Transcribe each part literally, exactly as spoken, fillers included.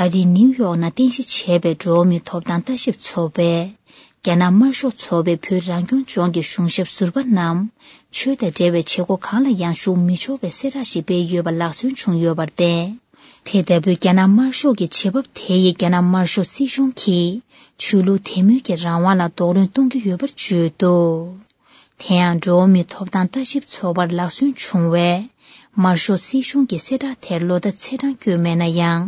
པ་རི་ནིའུ་ཡོག་ནང་རྟེན་གཞི་བྱས་པའི་འགྲོ་བ་མིའི་ཐོབ་ཐང་ལྟ་ཞིབ་ཚོགས་པས། རྒྱ་ནག་དམར་ཤོག་ཚོགས་པས་བོད་རང་སྐྱོང་ལྗོངས་ཀྱི་གཞུང་ཞབས་ཟུར་པ་རྣམས། ཆོས་དང་འབྲེལ་བའི་བྱེད་སྒོ་གང་ལ་ཡང་ཞུགས་མི་ཆོག་པའི་གསལ་བསྒྲགས་ཤིག་སྤེལ་ཡོད་པ་ལག་སོན་བྱུང་ཡོད་པར་བརྟེན། དེ་ལྟ་བུའི་རྒྱ་ནག་དམར་ཤོག་གི་བྱེད་བབ་དེ་ཡིས་རྒྱ་ནག་དམར་ཤོག་སྲིད་གཞུང་གིས་ཆོས་ལུགས་དད་མོས་ཀྱི་རང་དབང་ལ་རྡོག་རོལ་གཏོང་གི་ཡོད་པར་བརྗོད་འདུག་དེ་ཡང་འགྲོ་བ་མིའི་ཐོབ་ཐང་ལྟ་ཞིབ་ཚོགས་པར་ལག་སོན་བྱུང་བས། དམར་ཤོག་སྲིད་གཞུང་གིས་གསལ་བསྒྲགས་དེར་ལོ་ཟླ་ཚེས་གྲངས་བཀོད་མེད་ན་ཡང་།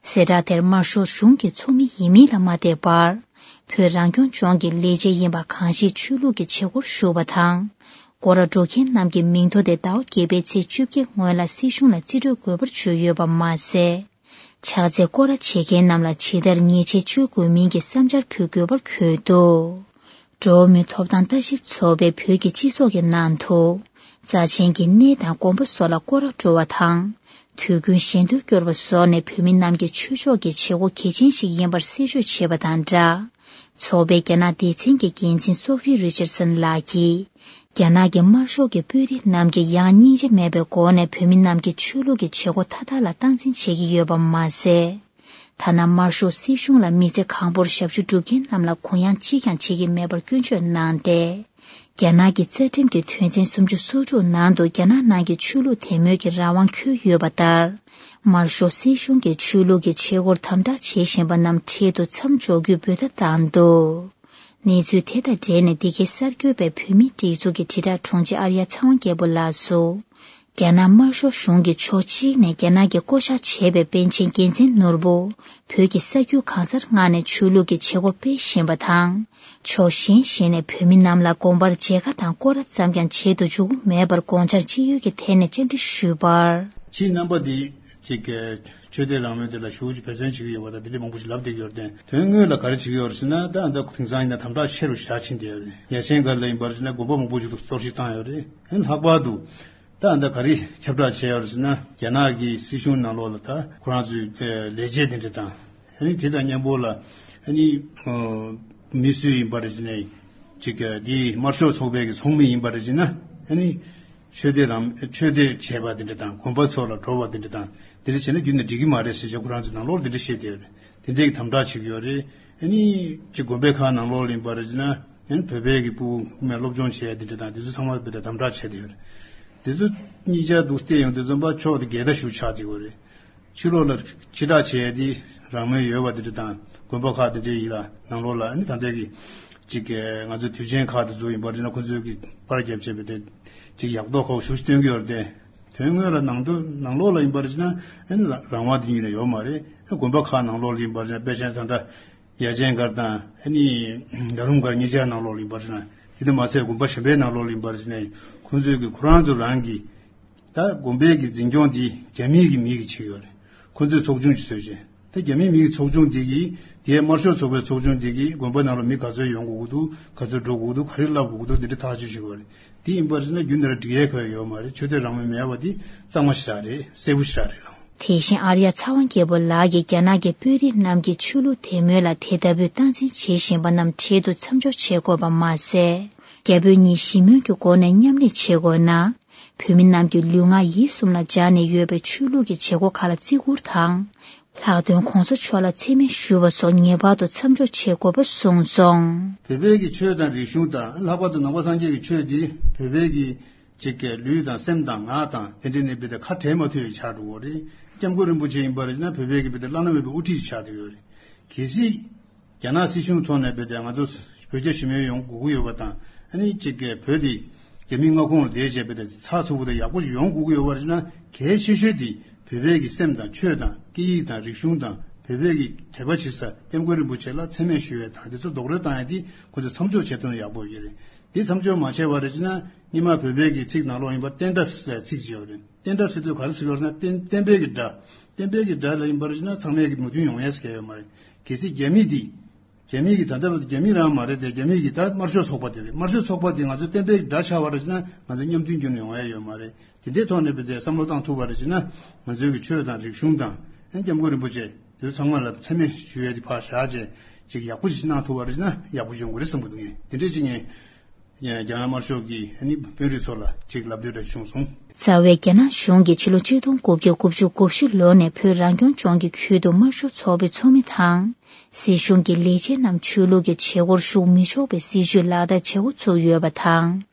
གསལ་བསྒྲགས་དེར་དམར་ཤོག་གཞུང་གི་ཚོགས་མི་ཡིན་མིན་ལ་མ་བལྟས་པར། བོད་རང་སྐྱོང་ལྗོངས་ཀྱི་ལས་བྱེད་ཡིན་པ་གང་ཞིག་ཆོས་ལུགས་ཀྱི་བྱེད་སྒོར་ཞུགས་པ་དང་། སྐོར་ར་འགྲོ་མཁན་རྣམས་ཀྱི་མིང་ཐོ་དེ་ཟླ་བ་བརྒྱད་པའི་ཚེས་བཅོ་བརྒྱད་སྔོན་ལ་སྲིད་གཞུང་ལ་རྩིས་སྤྲོད་དགོས་པར་བརྗོད་ཡོད་པ་མ་ཟད། ཕྱག་འཚལ་སྐོར་ར་བྱེད་མཁན་རྣམས་ལ་ཇི་ལྟར་ཉེས་ཆད་གཅོད་དགོས་མིན་གྱི་བསམ་འཆར་ཕུལ་དགོས་པར་འཁོད་འདུག་འགྲོ་བ་མིའི་ཐོབ་ཐང་ལྟ་ཞིབ་ཚོགས་པས་བོད་ཀྱི་སྤྱི་ཚོགས་ཀྱི་ནང་དུ། རྩ་ཆེན་གྱི་གནས་དང་དགོན་པ་སོགས་ལ་སྐོར་ར་འགྲོ་བ་དང་། དུས་རྒྱུན་ཞལ་འདོན་སྐྱོར་བ་སོགས་ནས་བོད་མི་རྣམས་ཀྱི་ཆོས་ཕྱོགས་ཀྱི་བྱེད་སྒོ་གལ་ཆེན་ཞིག་ཡིན་པར་གསལ་བརྗོད་བྱས་པ་དང་སྦྲགས། ཚོགས་པའི་རྒྱ་ནག་སྡེ་ཚན་གྱི་འགན་འཛིན་སོ་ཕི་རི་ཅར་སན་ལགས་ཀྱིས། རྒྱ་ནག་གི་དམར་ཤོག་གི་དཔོན་རིགས་རྣམས་ཀྱིས་ཡང་སྙིང་རྗེ་མེད་པའི་སྒོ་ནས་བོད་མི་རྣམས་ཀྱི་ཆོས་ལུགས་ཀྱི་བྱེད་སྒོ་མཐའ་དག་ལ་སྟངས་འཛིན་བྱེད་ཀྱི་ཡོད་པ་མ་ཟད། ཐ་ན་དམར་ཤོག་སྲིད་གཞུང་ལ་མི་ཚེ་གང་པོར་ཞབས་ཞུ་སྒྲུབ་མཁན་རྣམས་ལ་གུ་ཡངས་གཅིག་ཀྱང་བྱེད་ཀྱི་མེད་པར་སྐྱོན་བརྗོད་གནང་སྟེ། རྒྱ་ནག་གི་རྩ་ཁྲིམས་ཀྱི་དོན་ཚན་སུམ་ཅུ་སོ་དྲུག་ནང་དུ་རྒྱ་ནག་ནང་གི་ཆོས་ལུགས་དད་མོས་ཀྱི་རང་དབང་འཁོད་ཡོད་པ་ལྟར། དམར་ཤོག་སྲིད་གཞུང་གིས་ཆོས་ལུགས་ཀྱི་བྱེད་སྒོར་དམ་དྲག་བྱེད་བཞིན་པ་རྣམས་འཕྲལ་དུ་མཚམས་འཇོག་རྒྱུའི་འབོད་ཐབས་བཏང་འདུག་གནས་ཚུལ་དེ་དང་འབྲེལ་ནས་འདི་གའི་གསར་འགོད་པས་བོད་མིའི་སྒྲིག་འཛུགས་ཀྱི་དྲིལ་བསྒྲགས་དྲུང་ཆེ་ཨར་ཡ་ཚེ་དབང་རྒྱལ་པོ་ལགས་སུ། རྒྱ་ནག་དམར་ཤོག་གཞུང་གིས་ཕྱོགས་གཅིག་ནས་རྒྱ་ནག་གིས་བསྐོ་བཞག་བྱས་པའི་པཎ་ཆེན་རྒྱལ་མཚན་ནོར་བུ། བོད་ཀྱི་ས་རྒྱུས་གང་སར་མངགས་ནས་ཆོས་ལུགས་ཀྱི་བྱེད་སྒོ་སྤེལ་བཞིན་པ་དང་། ཕྱོགས་གཞན་ཞིག་ནས་བོད་མི་རྣམས་ལ་དགོན་པར་མཇལ་ཁ་དང་སྐོར་ར་ཙམ་ཀྱང་བྱེད་དུ་འཇུག་གི་མེད་པར་དགོངས་འཆར་ཅི་ཡོད་ཀྱི་ཐད་ནས་བཅར་འདྲི་ཞུས་པར། ཁྱེད་རྣམ་པ་འདི་ཅིག་ཆོས་དད་རང་མོས་དེ་ལ་ཞེ་པོ་ཅིག་འབད་བརྩོན་བྱེད་ཀྱི་ཡོད་པ་དང་དེ་འདྲ་མང་པོ་ཞིག་ལབ་བསྡད་ཀྱི་ཡོད་རེད། དོན་དངོས་ལ་ག་རེ་བྱེད་ཀྱི་ཡོད་རེད་ཟེར་ན། ད་ཨ་ད་དེང་སང་ཡིན་ན་དམ་དྲག་ཆེ་རུ་ཞེ་དྲག་ཕྱིན་བསྡད་ཡོད་རེད། ཡ་ཆེན་སྒར་ལ་ཡིན་པར་བྱས་ན་དགོན་པ་མང་པོ་ཞིག་ཏུ་གཏོར་བཤིག་བཏང་ཡོད་རེད། ཨ་ནི་ལྷག་པར་དུ། ད་ཨ་ད་ག་རེ་ཁྱབ་བསྒྲགས་བྱས་ཡོད་རེད་ཟེར་ན། རྒྱ་ནག་གི་སྲིད་གཞུང་ནང་ལོགས་ལ་ད་ཁོ་རང་ཚོའི་ལས་བྱེད་དེ་འདྲ་དང་། ཨ་ནི་དེ་དང་མཉམ་པོ་ལ་ཨ་ནི་མི་སུ་ཡིན་པ་རེད་ཟེར་ནའི་ཅིག་གི་དེ་དམར་ཤོག་ཚོགས་པའི་གི་ཚོགས་མི་ཡིན་པ་རེད་ཟེར་ན། ཨ་ནི་ཆོས་དད་རང་ཆོས་དད་བྱས་པ་དེ་འདྲ་དང་དགོན་པ་ཚོ་ལ་འགྲོ་བ་དེ་འདྲ་དང་དེ་འདྲ་བྱས་ན་རྒྱུན་ནས་འགྲིག་གི་མ་རེད་ཟེར་བྱས་ཁོ་རང་ཚོའི་ནང་ལོགས་དེ་འདྲ་བཤད་བསྡད་ཡོད་རེད། དེ་འདྲའི་གི་དམ་དྲག་བྱེད་ཀྱི་ཡོད་རེད། ཨ་ནི་ཅིག་དགོན་པའི་ཁག་ནང་ལོགས་ལ་ཡིན་པ་རེད་ཟེར་ན། ཡང་བོད་པའི་གི་ཕྲུ་གུ་མའི་སློབ་སྦྱོང་བྱས་དེ་འདྲ་དང་དེ་ཚོ་ཚང་མ་བོད་དམ་དྲག་བྱས་དེ་ཡོད་རེད། དེ་ཚོ་གཉིས་ཆ་འདུག་བལྟས་ཡོང་དུས་ཙམ་པ་ཕྱོགས་དེ་འགལ་ཟླ་ཞིག་ཆགས་བསྡད་ཡོད་རེད། ཕྱི་ལོགས་ལ་ཕྱི་བསྒྲགས་བྱས་དེ་རང་མོས་ཡོད་པ་དེ་འདྲ་དང་དགོན་པ་ཁག་དེ་འདྲའི་ཡིན་ལ་ནང་ལོགས་ལ་ཨ་ནི་ད་ལྟའི་གི་ཅིག་གི་ང་ཚོ་དུས་ཆེན་ཁག་དེ་ཚོ་ཡིན་པ་རེད་ན་ཁོ་ཚོས་གི་པར་རྒྱབ་བྱས་པ་དེ་ཅིག་ཡག་མདོག་ཁ་པོ་ཞེ་པོ་ཅིག་སྟོན་གི་ཡོད་རེད་དེ། དོན་དངོས་ལ་ནང་དུ་ནང་ལོགས་ལ་ཡིན་པ་རེད་ན་ཨ་ནི་རང་དབང་དེ་ཉིད་ནས་ཡོད་མ་རེད། དགོན་པ་ཁག་ནང་ལོགས་ལ་ཡིན་པ་རེད་ན་དཔེ་ཆ་ད་ལྟ། ཡ་ཆེན་སྒར་དང་ཨ་ནི་རྡ་རམ་སྒར་གཉིས་ཆའི་ནང་ལོགས་ལ་ཡིན་པར་བྱས་ན། དེ་དང་མ་ཚད་དགོན་པ་གཞན་པའི་ནང་ལོགས་ལ་ཡིན་པར་བྱས་ན་ཁོང་ཚོས་ཀྱི་ཁོ་རང་ཚོ་རང་གི་ད་དགོན་པའི་གི་འཛིན་སྐྱོང་དེ་རྒྱ་མིའི་གི་མི་གིས་བྱེད་ཀྱི་ཡོད་རེད། ཁོང་ཚོས་ཚོགས་ཆུང་ཞིག་བཟོས་བྱས། ད་རྒྱ་མིའི་མི་གི་ཚོགས་ཆུང་དེ་གིས་དེའི་དམར་ཤོག་ཚོགས་པའི་ཚོགས་ཆུང་དེ་གིས་དགོན་པ་ནང་ལ་མི་ག་ཚོད་ཡོང་དགོས་ཀྱི་འདུག་ག་ཚོད་འགྲོ་དགོས་ཀྱི་འདུག་ག་རེ་བསླབ་དགོས་ཀྱི་འདུག་དེ་འདྲ་ཐག་གཅོད་བྱེད་ཀྱི་ཡོད་རེད། དེ་ཡིན་པར་བྱས་ན་རྒྱུན་ནས་ར་འགྲིག་ཡས་ཁོ་ཡ་ཡོད་མ་རེད། ཆོས་དད་རང་མོས་མེད་པ་དེ་གཙང་མ་ཞེ་དྲག་རེད། གསལ་པོ་ཞེ་དྲག་རེད་ལགས། དེ་བཞིན་ཨར་ཡ་ཚ་དབང་རྒྱལ་པོ་ལགས་ཀྱིས་རྒྱ་ནག་གི་དཔོན་རིགས་རྣམས་ཀྱིས་ཆོས་ལུགས་དད་མོས་ལ་དེ་ལྟ་བུའི་སྟངས་འཛིན་བྱེད་བཞིན་པ་རྣམས་འཕྲལ་དུ་མཚམས་འཇོག་བྱེད་དགོས་པ་མ་ཟད། རྒྱ་བོད་གཉིས་ཞི་མོལ་གྱི་སྒོ་ནས་མཉམ་ལས་བྱེད་དགོས་ན། བོད་མི་རྣམས་ཀྱི་ལུས་ངག་ཡིད་གསུམ་ལ་སྦྱར་ནས་ཡོད་པའི་ཆོས་ལུགས་ཀྱི་བྱེད་སྒོ་ཁག་ལ་བརྩི་བཀུར་དང་། ལྷག་དོན་༧གོང་ས་མཆོག་ལ་མཚན་སྨད་ཞུ་བ་སོགས་ངེས་པར་དུ་མཚམས་འཇོག་བྱེད་དགོས་པ་གསུངས་སོང་། བོད་པའི་གི་ཆོས་དང་རིག་གཞུང་དང་ལྷག་པར་དུ་ནང་པ་སངས་རྒྱས་ཀྱི་ཆོས་འདི་བོད་པའི་གི་ཅིག་གི་ལུས་དང་སེམས་དང་ངག་དང་དེ་འདྲ་ནས་བི་དེ་ཁ་བྲལ་མ་ཐུབ་པའི་ཆགས་འགྲོ་གི་རེད། སྐྱབས་མགོན་རིན་པོ་ཆེ་ཡིན་པ་རེད་ན་བོད་པའི་གི་བི་དེ་བླ་ན་མེད་པའི་དབུ་ཁྲིད་ཅིག་ཆགས་བསྡད་ཡོད་རེད། གལ་སྲིད་རྒྱ་ནག་སྲིད་གཞུང་ཐོག་ནས་བི་དེ་ང་ཚོ་བོད་རྒྱ་ཞི་མོལ་ཡོང་དགོས་ཀྱི་ཡོད་པ་དང་ཨ་ནི་ཅིག་གི་བོད་དེ་རྒྱ་མིའི་མངའ་ཁོངས་ལ་བསྡད་བྱས་བི་དེ་ཚགས་ཚུད་པོ་དང་ཡག་པོ་ཞིག་ཡོང་དགོས་ཀྱི་ཡོད་པ་རེད་ན་གལ་ཆེ་ཤོས་དེ་བོད་པའི་གི་སེམས་དང་ཆོས་དང་སྐད་ཡིག་དང་རིག་གཞུང་དང་བོད་པའི་གི་དད་པ་བྱེད་ས་སྐྱབས་མགོན་རིན་པོ་ཆེ་ལ་མཚན་སྨད་ཞུ་ཡས་དང་དེ་ཚོ་རྡོག་རོལ་བཏང་ཡས་དེ་ཁོ་ཚོ་མཚམས་འཇོག་བྱས་ཐུབ་ན་ཡག་པོ་ཡོད་རེད། དེ་མཚམས་འཇོག་མ་བྱས་པ་རེད་ཅེ་ན་སྔོན་མ་བོད་པའི་གི་ཚིག་ནང་ལོགས་ཡིན་པ་བསྟན་དགྲ་ཟེར་ཚིག་ཅིག་ཡོད་རེད། བསྟན་དགྲ་ཟེར་དུས་ག་རེ་ཟེར་གྱི་ཡོད་རེད་ཟེར་ན་བསྟན་བསྟན་པའི་གི་དགྲ། བསྟན་པའི་གི་དགྲ་ལ་ཡིན་པར་ཅེ་ན་ཚང་མས་གི་མོས་མཐུན་ཡོང་ཡས་ཟེར་གྱི་ཡོད་མ་རེད། གལ་སྲིད་རྒྱ་མི་འདི། རྒྱ་མི་གི་ད་ལྟ་བར་དུ་རྒྱ་མི་རང་མ་རེད་དེ་རྒྱ་མི་གི་ད་དམར་ཤོག་ཚོགས་པ་དེ་རེད། དམར་ཤོག་ཚོགས་པ་དེ་ང་ཚོ་བསྟན་པའི་གི་དགྲ་ཆགས་པ་རེད་ཅེ་ན་ང་ཚོ་མཉམ་མཐུན་རྒྱུན་ནས་ཡོང་ཡས་ཡོད་མ་རེད། དེ་འདྲའི་ཐོག་ནས་བི་དེ་བསམ་བློ་བཏང་ཐུབ་པ་རེད་ཅེ་ན་ང་ཚོའི་གི་ཆོས་དང་རིག་གཞུང་དང་ཨ་སྐྱབས་མགོན་རིན་པོ་ཆེ་དེ་ཚོ་ཚང་མ་ལ་མཚན་སྨད་ཞུ་ཡས་དེ་ཕར་བཞག་བྱས་ཅིག་ཡག་པོ་ཞིག་གནང་ཐུབ་པ་རེད་ཅེ་ན་ཡག་པོ་ཡོང་གི་རེད་བསམ་གི་འདུག་ངས་དེ་འདྲས་ཅིག་ངས། རྒྱ་ནག་དམར་ཤོག་གིས་ཨ་ནི་བོད་རིགས་ཚོ་ལ་ཅིག་ལབ་འདོད་འདྲ་བྱུང་སོང་། རྩ་བའི་རྒྱ་ནག་གཞུང་གིས་ཕྱི་ལོ་ཆིག་སྟོང་དགུ་བརྒྱ་དགུ་བཅུ་གོ་བཞི་ལོ་ནས་བོད་རང་སྐྱོང་ལྗོངས་ཀྱི་ཁུལ་དུ་དམར་ཤོག་ཚོགས་པའི་ཚོགས་མི་དང་། སྲིད་གཞུང་གི་ལས་བྱེད་རྣམས་ཆོས་ལུགས་ཀྱི་བྱེད་སྒོར་ཞུགས་མི་ཆོག་པའི་སྲིད་ཇུས་ལག་བསྟར་བྱེད་འགོ་ཚུགས་ཡོད་པ་དང་།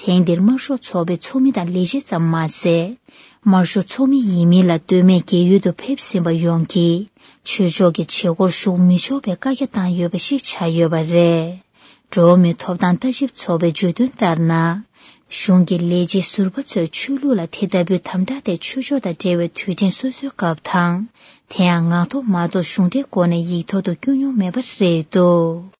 ཐེངས་འདིར་དམར་ཤོག་ཚོགས་པའི་ཚོགས་མི་དང་ལས་བྱེད་ཙམ་མ་ཟད། དམར་ཤོག་ཚོགས་མི་ཡིན་མིན་ལ་ལྟོས་མེད་རྒས་ཡོལ་དུ་ཕེབས་ཟིན་པ་ཡོངས་ཀྱིས་ཆོས་ཕྱོགས་ཀྱི་བྱེད་སྒོར་ཞུགས་མི་ཆོག་པའི་བཀའ་རྒྱ་བཏང་ཡོད་པ་ཞིག་ཆགས་ཡོད་པ་རེད། འགྲོ་བ་མིའི་ཐོབ་ཐང་ལྟ་ཞིབ་ཚོགས་པའི་བརྗོད་དོན་ལྟར་ན། གཞུང་གི་ལས་བྱེད་ཟུར་པ་ཚོས་ཆོས་ལུགས་ལ་དེ་ལྟ་བུའི་དམ་དྲག་དེ་ཆོས་ཕྱོགས་དང་འབྲེལ་བའི་དུས་དྲན་སོ་སོའི་སྐབས་དང་། དེ་ཡང་ངག་ཐོག་མ་གཏོགས་གཞུང་འབྲེལ་སྒོ་ནས་ཡིག་ཐོག་ཏུ་བསྐྱོན་མྱོང་མེད་པ་རེད་འདུག།